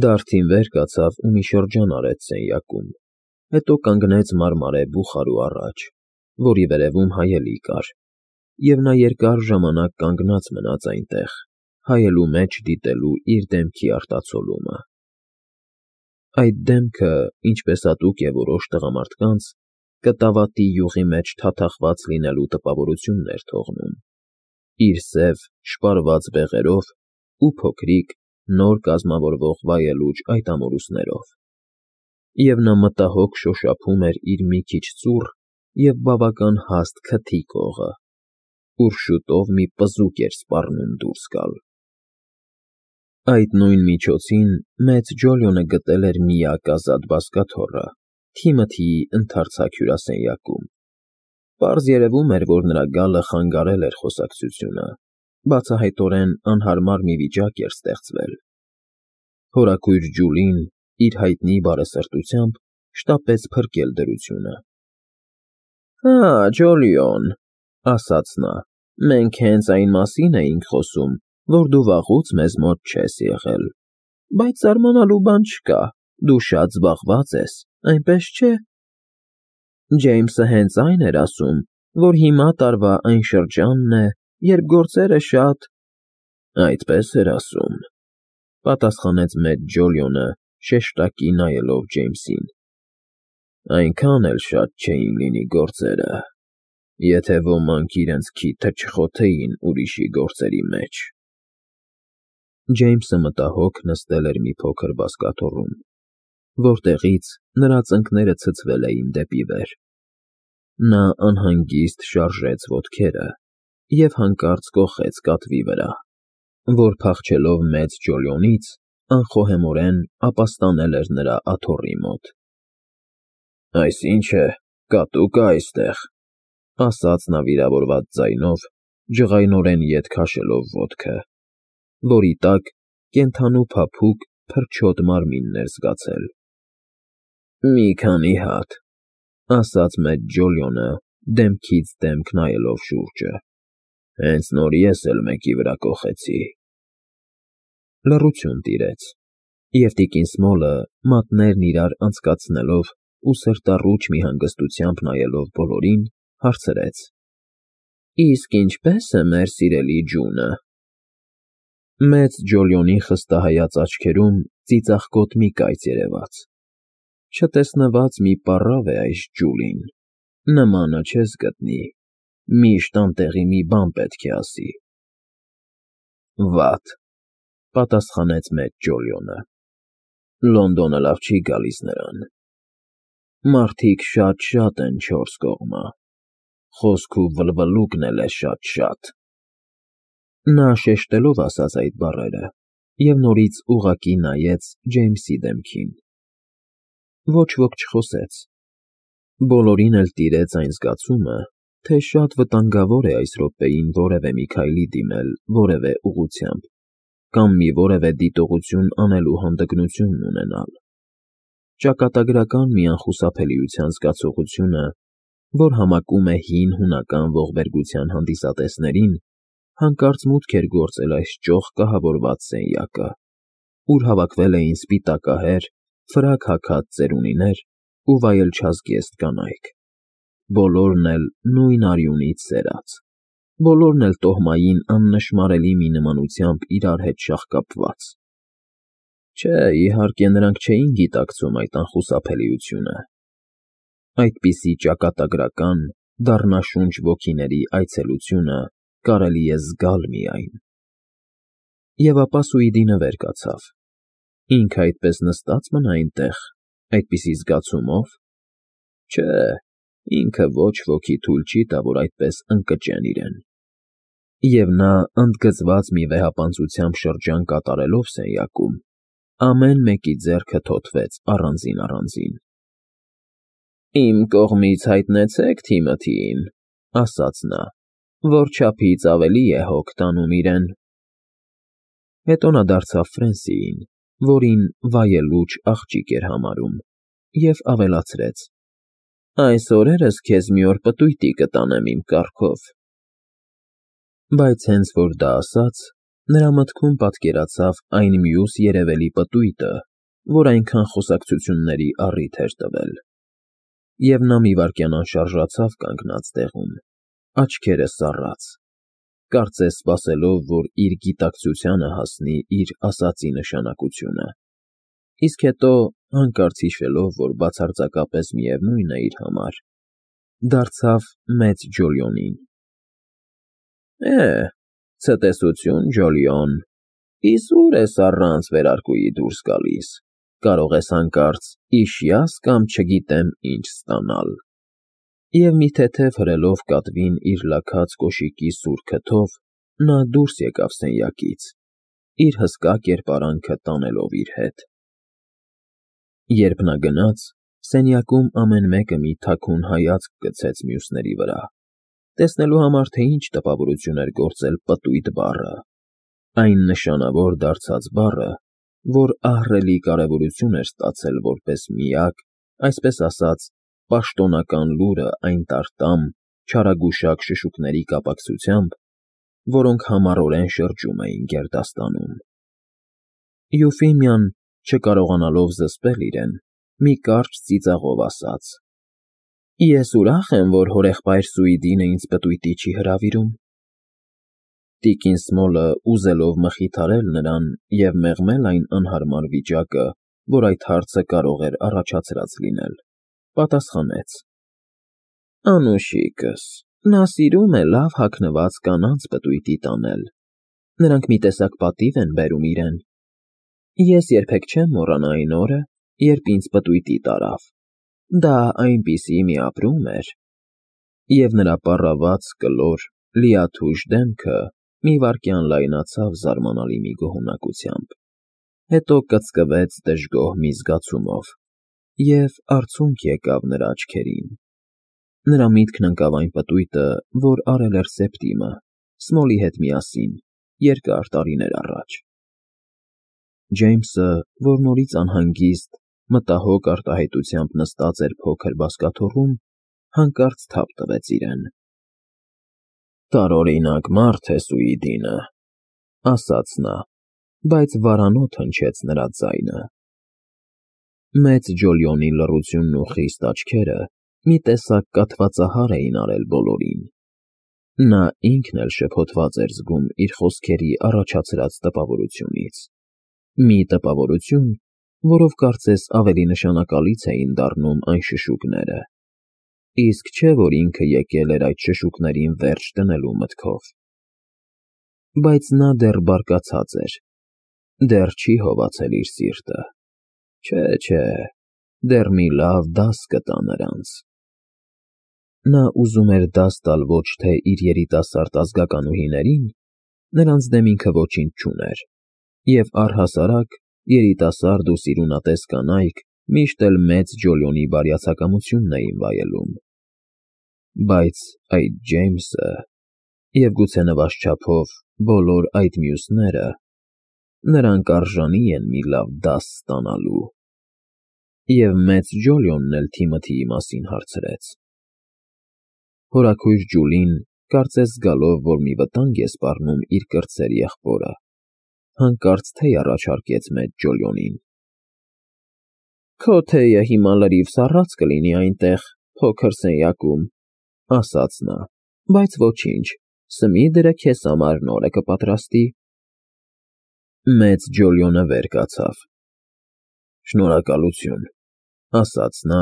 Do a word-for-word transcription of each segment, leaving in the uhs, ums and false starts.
Դարդին վեր կացավ ու մի շրջան արեց սենյակում, հետո կանգնեց մարմարե բուխարու առաջ, որի վերևում հայելի կար, և նա երկար ժամանակ կանգնած մնաց այնտեղ, հայելու մեջ դիտելու իր դեմքի արտացոլումը. այդ դեմքը, ինչպես հատուկ է որոշ տղամարդկանց, կտավատի յուղի մեջ թաթախված լինելու տպավորությունն էր թողնում, իր սև, շպարված բեղերով ու փոքրիկ, նոր կազմավորվող վայելուչ այդ ամորուսներով, և նա մտահոգ շոշափում էր իր մի քիչ ծուռ և բավական հաստ քթի կողը, ուր շուտով մի պզուկ էր սպառնում դուրս գալ։ Այդ նույն միջոցին մեծ Ջոլիոնը գտել էր միակ ազատ բազկաթոռը Թիմոթիի ընդարձակ հյուրասենյակում. պարզ երևում էր, որ նրա գալը խանգարել էր խոսակցությունը, բացահայտորեն անհարմար մի վիճակ էր ստեղծվել։ Հորաքույր Ջուլին իր հայտնի բարեսրտությամբ շտապեց փրկել դրությունը։ ֊ Հա, Ջոլիոն, ֊ ասաց նա, ֊ մենք հենց այն մասին էինք խոսում, որ դու վաղուց մեզ մոտ չես եղել, բայց զարմանալու բան չկա, դու շատ զբաղված ես, այնպես չէ՞։ Ջեյմսը հենց այն էր ասում, որ հիմա տարվա այն շրջանն է, երբ գործերը շատ… ֊ Այդպես էր ասում, ֊ պատասխանեց մեծ Ջոլիոնը, շեշտակի նայելով Ջեյմսին, ֊ այնքան էլ շատ չէին լինի գործերը, եթե ոմանք իրենց քիթը չխոթեին ուրիշի գործերի մեջ։ Ջեյմսը մտահոգ նստել էր մի փոքր բազկաթոռում, որտեղից նրա ծնկները ցցվել էին դեպի վեր։ Նա անհանգիստ շարժեց ոտքերը և հանկարծ կոխեց կատվի վրա, որ փախչելով մեծ Ջոլիոնից, անխոհեմորեն ապաստանել էր նրա աթոռի մոտ։ ֊ Այս ի՞նչ է, կատու կա այստեղ, ֊ ասաց նա վիրավորված ձայնով, ջղայնորեն ետ քաշելով ոտքը, որի տակ կենդանու փափուկ, փրչոտ մարմինն էր զգացել։ ֊ Մի քանի հատ, ֊ ասաց մեծ Ջոլիոնը, դեմքից դեմք նայելով շուրջը, ֊ հենց նոր ես էլ մեկի վրա կոխեցի։ Լռություն տիրեց, և տիկին Սմոլը, մատներն իրար անցկացնելով ու սրտառուչ մի հանգստությամբ նայելով բոլորին, հարցրեց. ֊ Իսկ ինչպե՞ս է մեր սիրելի Ջունը։ Մեծ Ջոլիոնի խստահայաց աչքերում ծիծաղկոտ մի կայծ երևաց. չտեսնված մի պառավ է այս Ջուլին, նմանը չես գտնի, միշտ անտեղի մի բան պետք է ասի։ ֊ Վատ, ֊ պատասխանեց մեծ Ջոլիոնը, ֊ Լոնդոնը լավ չի գալիս նրան։ Մարդիկ շատ֊շատ են չորս կողմը, խոսք ու վլվլուկն էլ է շատ֊շատ… Նա շեշտելով ասաց այդ բառերը և նորից ուղղակի նայեց Ջեյմսի դեմքին։ Ոչ ոք չխոսեց։ Բոլորին էլ տիրեց այն զգացումը, թե շատ վտանգավոր է այս րոպեին որևէ մի քայլի դիմել որևէ ուղղությամբ կամ մի որևէ դիտողություն անելու հանդգնություն ունենալ։ Ճակատագրական մի անխուսափելիության զգացողությունը, որ համակում է հին հունական ողբերգության հանդիսատեսներին, հանկարծ մուտք էր գործել այս ճոխ կահավորված սենյակը, ուր հավաքվել էին սպիտակահեր, ֆրակ հագած ծերունիներ ու վայելչազգեստ կանայք, բոլորն էլ նույն արյունից սերած, բոլորն էլ տոհմային աննշմարելի մի նմանությամբ իրար հետ շաղկապված։ Չէ, իհարկե, նրանք չէին գիտակցում այդ անխուսափելիությունը։ Այդպիսի ճակատագրական, դառնաշունչ ոգիների այցելությունը կարելի է զգալ միայն… Եվ ապա Սուիդինը վեր կացավ. ինքը այդպես նստած մնա այնտեղ, այդպիսի զգացումո՞վ։ Չէ, ինքը ոչ ոքի թույլ չի տա, որ այդպես ընկճեն իրեն։ Եվ նա, ընդգծված մի վեհապանծությամբ շրջան կատարելով սենյակում, ամեն մեկի ձեռքը թոթվեց առանձին֊առանձին։ ֊ Իմ կողմից հայտնեցեք Թիմոթիին, ֊ ասաց նա, ֊ որ չափից ավելի է հոգ տանում իրեն։ Հետո նա դարձավ Ֆրենսիին, որին վայելուչ աղջիկ էր համարում, և ավելացրեց. ֊ Այս օրերս քեզ մի օր պտույտի կտանեմ իմ կառքով… Բայց հենց որ դա ասաց, Նրա մտքում պատկերացավ այն մյուս երևելի պտույտը, որ այնքան խոսակցությունների առիթ էր տվել, և նա մի վայրկյան անշարժացավ կանգնած տեղում, աչքերը սառած, կարծես սպասելով, որ իր գիտակցությանը հասնի իր ասածի նշանակությունը, իսկ հետո, հանկարծ հիշելով, որ բացարձակապես միևնույն է իր համար, դարձավ մեծ Ջոլիոնին. Է, ցտեսություն, Ջոլիոն, իսկ ո՞ւր ես առանց վերարկուի դուրս գալիս, կարող ես հանկարծ իշխյաս կամ չգիտեմ ինչ ստանալ… Եվ մի թեթև հրելով կատվին իր լաքած կոշիկի սուր քթով, նա դուրս եկավ սենյակից, իր հսկա կերպարանքը տանելով իր հետ… Երբ նա գնաց, սենյակում ամեն մեկը մի թաքուն հայացք գցեց մյուսների վրա, տեսնելու համար, թե ինչ տպավորություն էր գործել պտույտ բառը, այն նշանավոր դարձած բառը, որ ահռելի կարևորություն էր ստացել որպես միակ, այսպես ասած, պաշտոնական լուրը այն տարտամ, չարագուշակ շշուկների կապակցությամբ, որոնք համառորեն շրջում էին գերդաստանում… Եուֆիմիան, չկարողանալով զսպել իրեն, մի կարճ ծիծաղով ասաց. Ես ուրախ եմ, որ հորեղբայր Սուիդինը ինձ պտույտի չի հրավիրում… Տիկին Սմոլը, ուզելով մխիթարել նրան և մեղմել այն անհարմար վիճակը, որ այդ հարցը կարող էր առաջացրած լինել, պատասխանեց. Անուշիկս, նա սիրում է լավ հագնված կանանց պտույտի տանել, նրանք մի տեսակ պատիվ են բերում իրեն… Ես երբեք չեմ մոռանա այն օրը, երբ ինձ պտույտի տարավ, դա այնպիսի մի ապրում էր… Եվ նրա պառաված, կլոր, լիաթուշ դեմքը մի վայրկյան լայնացավ զարմանալի մի գոհունակությամբ, հետո կծկվեց դժգոհ մի զգացումով, և արցունք եկավ նրա աչքերին… Նրա միտքն ընկավ այն պտույտը, որ արել էր Սեպտիմը, Սմոլի հետ միասին, երկար տարիներ առաջ… Ջեյմսը, որ նորից անհանգիստ, մտահոգ արտահայտությամբ նստած էր փոքր բազկաթոռում, հանկարծ թափ տվեց իրեն. Տարօրինակ մարդ է Սուիդինը, ասաց նա, բայց վարանոտ հնչեց նրա ձայնը… Մեծ Ջոլիոնի լռությունն ու խիստ աչքերը մի տեսակ կաթվածահար էին արել բոլորին… Նա ինքն էլ շփոթված էր զգում իր խոսքերի առաջացրած տպավորությունից… Մի տպավորություն, որով կարծես ավելի նշանակալից էին դառնում այն շշուկները… Իսկ չէ՞ որ ինքը եկել էր այդ շշուկներին վերջ դնելու մտքով… Բայց նա դեռ բարկացած էր, դեռ չի հովացել իր սիրտը… Չէ, չէ, դեռ մի լավ դաս կտա նրանց… Նա ուզում էր դաս տալ ոչ թե իր երիտասարդ ազգականուհիներին, նրանց դեմ ինքը ոչինչ չուներ, և առհասարակ երիտասարդ ու սիրունատես կանայք միշտ էլ մեծ Ջոլիոնի բարյացակամությունն էին վայելում… Բայց այդ Ջեյմսը… և գուցե նվազչափով բոլոր այդ մյուսները… նրանք արժանի են մի լավ դաս ստանալու… Եվ մեծ Ջոլիոնն էլ Թիմոթիի մասին հարցրեց… Հորաքույր Ջուլին, կարծես զգալով, որ մի վտանգ է սպառնում իր կրտսեր եղբորը, հանկարծ թեյ առաջարկեց մեծ Ջոլիոնին… Քո թեյը հիմա լրիվ սառած կլինի այնտեղ, փոքր սենյակում, ասաց նա, բայց ոչինչ, Սմիդրը քեզ համար նորը կպատրաստի… Մեծ Ջոլիոնը վեր կացավ… Շնորհակալություն, ասաց նա,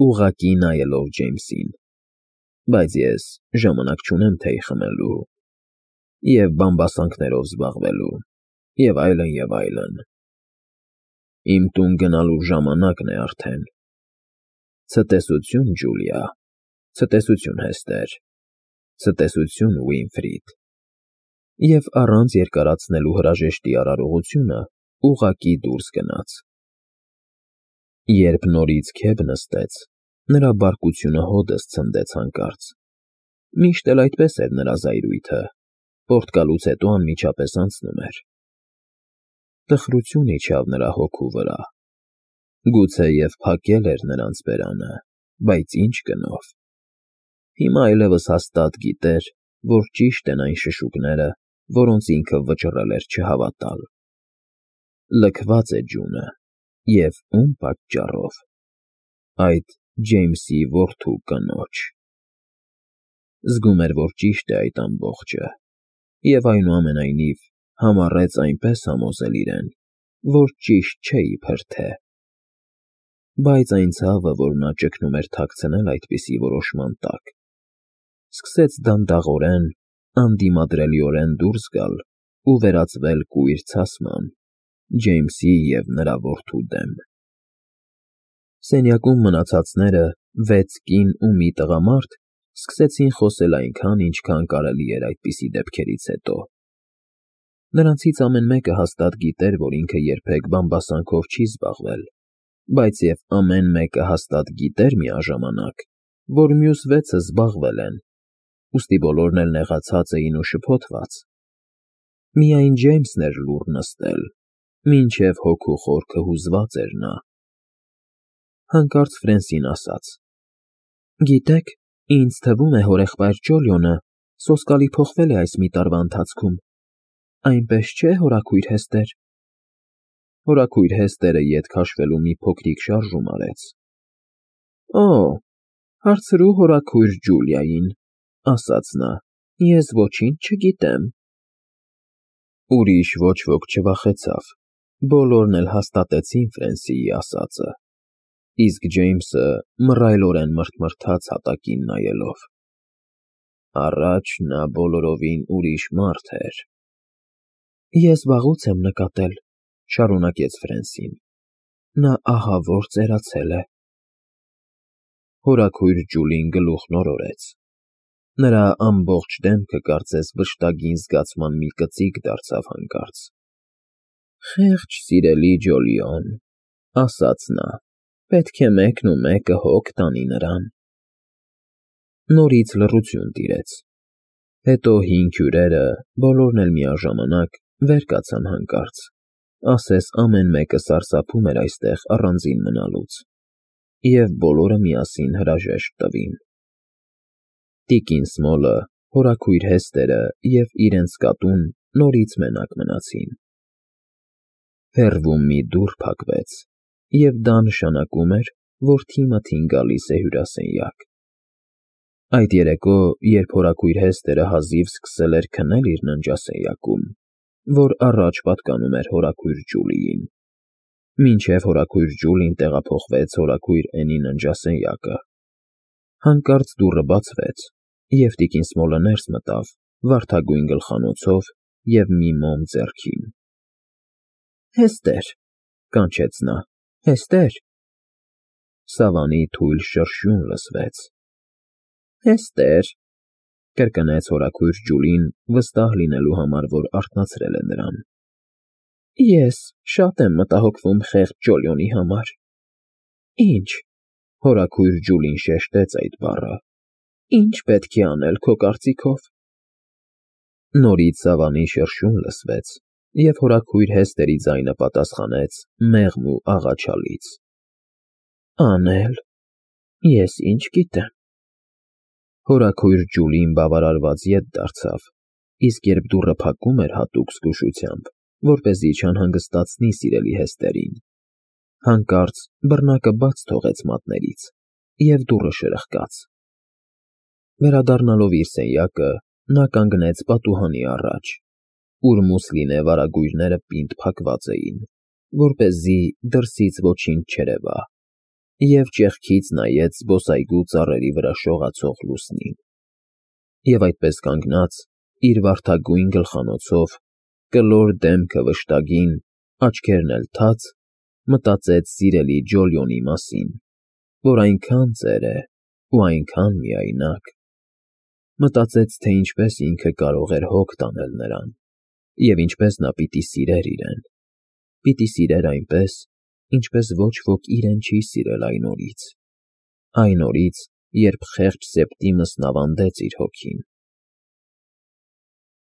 ուղղակի նայելով Ջեյմսին, բայց ես ժամանակ չունեմ թեյ խմելու… և բամբասանքներով զբաղվելու… և այլն, և այլն… Իմ տուն գնալու ժամանակն է արդեն… Ցտեսություն, Ջուլիա, ցտեսություն, Հեստեր, ցտեսություն, Ուինֆրիդ… Եվ առանց երկարացնելու հրաժեշտի արարողությունը ուղղակի դուրս գնաց… Երբ նորից քեֆ նստեց, նրա բարկությունը հօդս ցնդեց հանկարծ… Միշտ էլ այդպես էր նրա զայրույթը, պորտկալուց հետո անմիջապես անցնում էր… Տխրություն իջավ նրա հոգու վրա… Գուցեև փակել էր նրանց բերանը, բայց ի՞նչ գնով… Հիմա այլևս հաստատ գիտեր, որ ճիշտ են այն շշուկները, որոնց ինքը վճռել էր չհավատալ։ Լքված է ջունը, և ում պատճառով։ Այդ Ջեյմսի որդու կնոջ։ Զգում էր, որ ճիշտ է այդ ամբողջը, և այնուամենայնիվ համառեց այնպես համոզել իրեն, որ ճիշտ չէ իբր թե։ Բայց այն ցավը, որ նա ճգնում էր թաքցնել այդպիսի որոշման տակ, սկսեց դանդաղորեն, անդիմադրելիորեն դուրս գալ ու վերածվել կույր ցասման Ջեյմսի և նրա որդու դեմ։ Սենյակում մնացածները, վեց կին ու մի տղամարդ, սկսեցին խոսել այնքան, ինչքան կարելի էր այդպիսի դեպքերից հետո։ Նրանցից ամեն մեկը հաստատ գիտեր, որ ինքը երբեք բամբասանքով չի զբաղվել, բայց և ամեն մեկը հաստատ գիտեր միաժամանակ, որ մյուս վեցը զբաղվել են, ուստի բոլորն էլ նեղացած էին ու շփոթված։ Միայն Ջեյմսն էր լուռ նստել, մինչև հոգու խորքը հուզված էր նա։ Հանկարծ Ֆրենսին ասաց. «Գիտեք, ինձ թվում է հորեղբայր Ջոլիոնը սոսկալի փոխվել է այս մի տարվա ընթացքում, այնպես չէ՞, հորաքույր Հեստեր»։ Հորաքույր Հեստերը ետ քաշվելու մի փոքրիկ շարժում արեց։ «Օ, հարցրու հորաքույր Ջուլիային», ասաց նա, «ես ոչինչ չգիտեմ»։ Ուրիշ ոչ ոք չվախեցավ, բոլորն էլ հաստատեցին Ֆրենսիի ասածը, իսկ Ջեյմսը մռայլորեն մռթմռթաց հատակին նայելով։ Առաջ նա բոլորովին ուրիշ մարդ էր։ «Ես վաղուց եմ նկատել», շարունակեց Ֆրենսին, «նա ահավոր ծերացել է»։ Հորաքույր Ջուլին գլուխն օրորեց։ Նրա ամբողջ դեմքը կարծես վշտագին զգացման մի կծիկ դարձավ հանկարծ։ «Խեղճ սիրելի Ջոլիոն», ասաց նա, «պետք է մեկն ու մեկը հոգ տանի նրան»։ Նորից լռություն տիրեց։ Հետո հին հյուրերը, բոլորն էլ միաժամանակ, վեր կացան հանկարծ, ասես ամեն մեկը սարսափում էր այստեղ առանձին մնալուց, և բոլորը միասին հրաժեշտ տվին։ Տիկին Սմոլը, հորաքույր Հեստերը և իրենց կատուն նորից մենակ մնացին։ Հեռվում մի դուռ փակվեց, և դա նշանակում էր, որ թիմը գալիս է հյուրասենյակ։ Այդ երեկո, երբ հորաքույր Հեստերը հազիվ սկսել էր քնել իր ննջասենյակում, որ առաջ պատկանում էր հորաքույր Ջուլիին, մինչև հորաքույր Ջուլին տեղափոխվեց հորաքույր Էնի ննջասենյակը, հանկարծ դուռը բացվեց, և տիկին Սմոլը ներս մտավ վարդագույն գլխանոցով և մի մոմ ձեռքին։ «Հեստեր», կանչեց նա, «Հեստեր»։ Սավանի թույլ շրշյուն լսվեց։ «Հեստեր», կրկնեց հորաքույր Ջուլին, վստահ լինելու համար, որ արթնացրել է նրան։ «Ես շատ եմ մտահոգվում խեղճ Ջոլիոնի համար»։ «Ի՞նչ», հորաքույր Ջուլին շեշտեց այդ բառը, «ի՞նչ պետք է անել քո կարծիքով»։ Նորից Սավանի շրշյուն լսվեց, և հորաքույր Հեստերի ձայնը պատասխանեց մեղմ ու աղաչալից. «Անել… ես ինչ գիտեմ»։ Հորաքույր Ջուլին բավարարված ետ դարձավ, իսկ երբ դուռը փակում էր հատուկ զգուշությամբ, որպեսզի չանհանգստացնի սիրելի Հեստերին, հանկարծ բռնակը բաց թողեց մատներից, և դուռը շրխկաց։ Վերադառնալով իր սենյակը, նա կանգնեց պատուհանի առաջ, ուր մուսլինե վարագույրները պինդ փակված էին, որպեսզի դրսից ոչինչ չերևա, և ճեղքից նայեց զբոսայգու ծառերի վրա շողացող լուսնին։ Եվ այդպես կանգնած, իր վարդագույն գլխանոցով, կլոր դեմքը վշտագին, աչքերն էլ թաց, մտածեց սիրելի Ջոլիոնի մասին, որ այնքան ծեր է ու այնքան միայնակ։ Մտածեց, թե ինչպես ինքը կարող էր հոգ տանել նրան, և ինչպես նա պիտի սիրեր իրեն, պիտի սիրեր այնպես, ինչպես ոչ ոք իրեն չի սիրել այն օրից, այն օրից, երբ խեղճ Սեպտիմուսն ավանդեց իր հոգին։